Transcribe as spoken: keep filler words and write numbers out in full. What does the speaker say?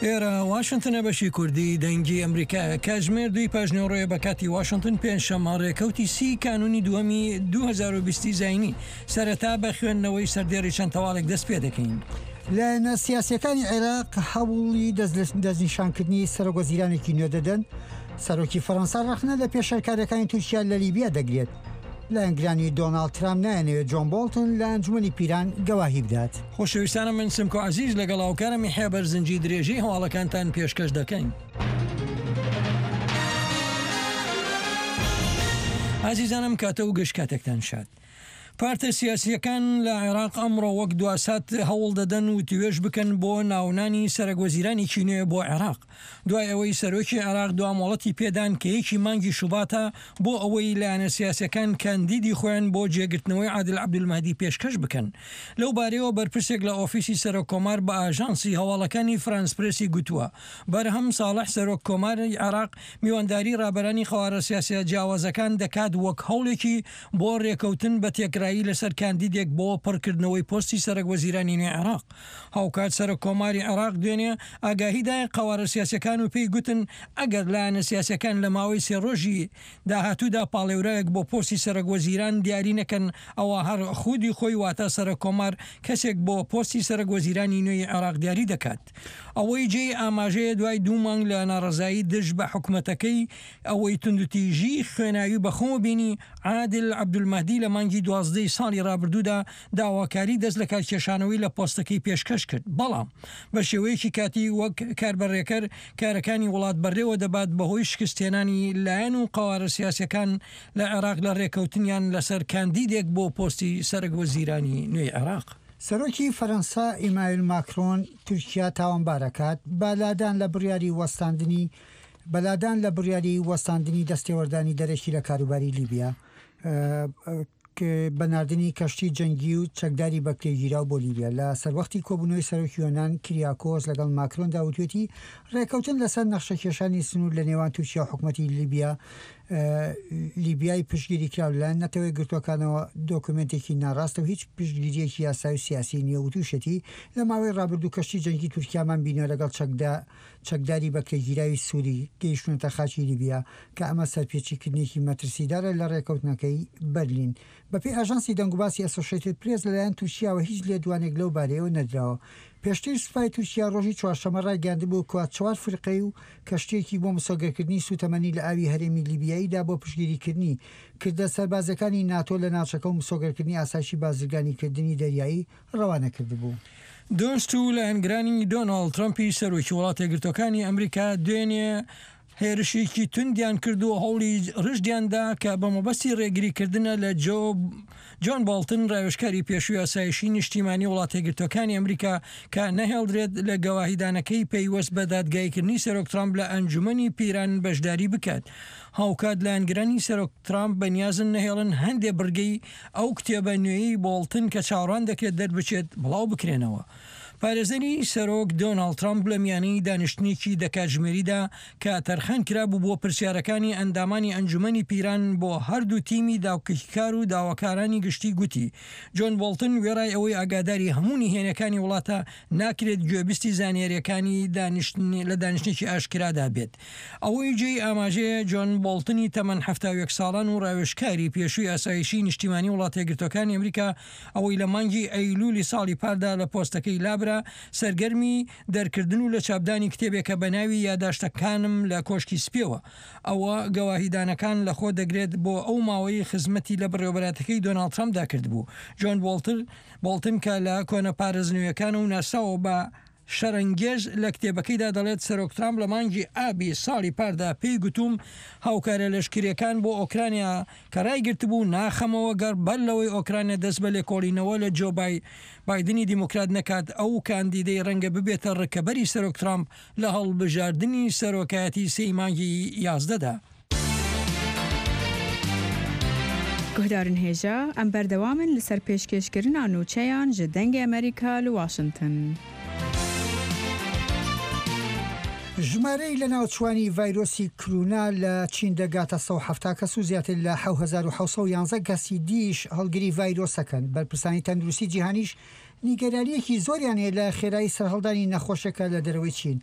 ئێرە واشنتنە، بەشی کوردی دەنگی ئەمریکایە. کاتژمێر دووی پاش نیوەڕۆیە بە کاتی واشنتن، پێنجشەممە ڕێکەوتی سی کانونی دووەمی دوو هەزار و بیست زایینی. سەرەتا بە خوێندنەوەی سەردێڕی چەند هەواڵێک دەست پێ دەکەین. لایەنە سیاسیەکانی عێراق هەوڵی دەستنیشانکردنی سەرۆک وەزیرانێکی نوێ دەدەن. سەرۆکی فەرەنسا ڕەخنە لە پێشێلکاریەکانی تورکیا لە لیبیا دەگرێت. لایەنگرانی دۆناڵد ترامپ نایانەوێت جۆن بۆڵتن لە ئەنجومەنی پیران گەواهی بدات. خۆشەویستانە، من سمکۆ عزیز لەگەڵ هاوکارم یحیی بەرزنجی درێژەی هەواڵەکانتان پێشکەش دەکەین. ئازیزانم، کاتە و گشت کاتێکتان شاد. پارتە سیاسیەکان لە عێراق ئەمڕۆ وەک دواسات هەوڵ دەدەن و توێژ بکەن بۆ ناونانی سەرەک وەزیرانێکی نوێ بۆ عێراق، دوای ئەوەی سەرۆکی عێراق دوا مۆڵەتی پێدان کە یەکی مانگی شوباتە بۆ ئەوەی لایەنە سیاسەکان کاندیدی خۆیان بۆ جێگرتنەوەی عادل عەبدولمەهدی پێشکەش بکەن. لەو بارەیەوە بەرپرسێک لە ئۆفیسی سەرۆک کۆمار بە ئاژانسی هەواڵەکانی فرانس پرێسی گوتووە، بەرهەم ساڵح سەرۆک کۆماری عێراق میوانداری ڕابەرانی قەوارە سیاسیە جیاوازەکان دەکات وەک هەوڵێکی بۆ ڕێکەوتن بە تێکرایی لەسەر کاندیدێک بۆ پڕکردنەوەی پۆستی سەرەک وەزیرانی نوێی عێراق. هاوکات سەرۆک کۆماری عێراق دوێنێ ئاگاهیدایە قەوارە سیاسەکان و پێی گوتن ئەگەر لایەنە سیاسەکان لە ماوەی سێ ڕۆژی داهاتوودا پاڵێوراوێک بۆ پۆستی سەرۆک وەزیران دیاری نەکەن، ئەوە هەر خودی خۆی، واتە سەرۆک کۆمار، کەسێک بۆ پۆستی سەرۆک وەزیرانی نوێی عێراق دیاری دەکات. ئەوەی جێی ئاماژەیە، دوای دوو مانگ لە ناڕەزایی دژ بە حکومەتەکەی ئەوەی توندوتیژی خوێناوی بەخۆوە بینی، عادل عەبدولمەهدی لە مانگی دوازدەی ساڵی ڕابردوودا داواکاری دەست لە کارکێشانەوەی لە پۆستەکەی پێشکەش کرد، بەڵام بە شێوەیەکی کاتی وەک کاربەڕێکەر کارەکانی وڵات بەڕێوە دەبات، بەهۆی شکستهێنانی لایەن و قەوارە سیاسیەکان لە عێراق لە ڕێکەوتنیان لەسەر کاندیدێک بۆ پۆستی سەرەک وەزیرانی نوێی عێراق. سەرۆکی فەرەنسا ئیمانوێل ماکرۆن تورکیا تاوانبارەکات بە لادان لە بڕیاری وەستاندنی بەلادان لە بڕیاری وەستاندنی دەستێوەردانی دەرەکی لە کاروباری لیبیا بە ناردنی کەشتی جەنگی و چەکداری بەکرێگیراو بۆ لیبیا. لە سەروەختی کۆبوونەوەی سەرۆکی یۆنان کریاکۆس لەگەڵ ماکرۆندا وتوێتی ڕێکەوتن لەسەر نەخشەکێشانی سنوور لە نێوان تورکیا و حکوومەتی لیبیا لیبیای پشتگیری کراو لەلایەن نەتەوە یەکگرتووەکانەوە دۆکومنتێکی ناڕاستە و هیچ پشتگیریەکی یاسایی و سیاسی نییە. وتوشێتی لە ماوەی ڕابردوو کەشتی جەنگی تورکیامان بینیوە لەگەڵ چەکدا چەکداری بەکرێگیراوی سووری گەیشتونەتە خاکی لیبیا، کە ئەمە سەرپێچیکردنێکی مەترسیدارە لە ڕێکەوتنەکەی بەرلین. بەپێی ئاژانسی دەنگوباسی ئەسۆشیتد پرێس، لەلایەن تورکیاوە هیچ لێدوانێک لەو بارەیەوە نەدراوە. پێشتر سوپای تورکیا ڕۆژی چوارشەممە ڕایگەیاندبوو کە چوار فڕۆکەی و کەشتیەکی بۆ مسۆگەرکردنی سوتەمەنی لە ئاوی هەرێمی لیبیاییدا بۆ پشتگیریکردنی کردە سەربازەکانی ناتۆ لە ناوچەکە و مسۆگەرکردنی ئاسایشی بازرگانیکردنی دەریایی ڕەوانە کردبوو. دۆست و لایەنگرانی دۆناڵد ترەمپی سەرۆکی وڵاتە یەکگرتووەکانی ئەمریکا دوێنێ هێرشێکی توندیان کرد و هەوڵی ڕژدیاندا کە بە مەبەستی ڕێگریکردنە لە جۆ جۆن باڵتن، ڕاوێژکاری پێشووی ئاسایشی نیشتیمانی وڵاتە یەکگرتووەکانی ئەمریکا، کە نەهێڵدرێت لە گەواهیدانەکەی پەیوەست بە دادگایکردنی سەرۆک ترامپ لە ئەنجومەنی پیران بەشداری بکات. هاوکات لایەنگرانی سەرۆک ترامپ بەنیازن نەهێڵن هەندێ بڕگەی ئەو کتێبە نوێی بۆڵتن کە چاوەڕوان دەکرێت دەربچێت بڵاو بکرێنەوە. پارێزەری سەرۆک دۆناڵد ترامپ لە میانەی دانیشتنێکی دە کاتژمێریدا کە تەرخان کرابوو بۆ پرسیارەکانی ئەندامانی ئەنجومەنی پیران بۆ هەردوو تیمی داکۆکیکار و داواکارانی گشتی گوتی، جۆن بۆڵتن وێڕای ئەوەی ئاگاداری هەموو نهێنەکانی وڵاتە، ناکرێت گوێبیستی زانیاریەکانی لە دانیشتنێکی ئاشکرادا بێت. ئەوەی جێی ئاماژەیە، جۆن بۆڵتنی تەمەن حەفتا و یەک ساڵان و ڕاوێژکاری پێشووی ئاسایشی نیشتیمانی وڵاتە یەکگرتووەکانی ئەمریکا، ئەوەی لە مانگی ئەیلولی ساڵی پاردا لە پۆستەکەی لابرا، سەرگەرمی دەرکردن و لە چاپدانی کتێبێکە بە ناوی یاداشتەکانم لە کۆشکی سپیەوە. ئەوە گەواهیدانەکان لە خۆ دەگرێت بۆ ئەو ماوەی خزمەتی لە بەڕێوەبەرایەتەکەی دۆناڵد ترەمپدا کردبوو. جۆن بۆڵتن کە لە کۆنە پارێزنوێیەکان و ناسراوە بە شەرەنگێژ، لە کتێبەکەیدا دەڵێت، سەرۆک ترامپ لە مانگی ئابی ساڵی پاردا پێی گوتوم هاوکارە لەشکریەکان بۆ ئۆکرانیا کە ڕایگرتبوو ناخەمەوە گەڕ بەر لەوەی ئۆکرانیا دەست بە لێکۆڵینەوە لە جۆ بایدنی دیموکرات نەکات، ئەو کاندیدەی ڕەنگە ببێتە ڕکەبەری سەرۆک ترامپ لە هەڵبژاردنی سەرۆکایەتی سێی مانگی یازدەدا. Guhdarên hêja، em berdewam in li ser pêşkêşkirina nûçeyan ji Dengê Amerîka li Washington. ژمارەی لە ناوچوانی ڤایرۆسی کرونا لە چین دەگاتە سەد و حەفتا کەس و زیاتر لە حەوت هەزار و حەوت سەد و یانزە کەسی دیش هەڵگری ڤایرۆسەکەن. بەرپرسانی تەندروستی جیهانیش نیگەرانیەکی زۆریان هەیە لە خێرایی سەرهەڵدانی نەخۆشەکە لە دەرەوەی چین.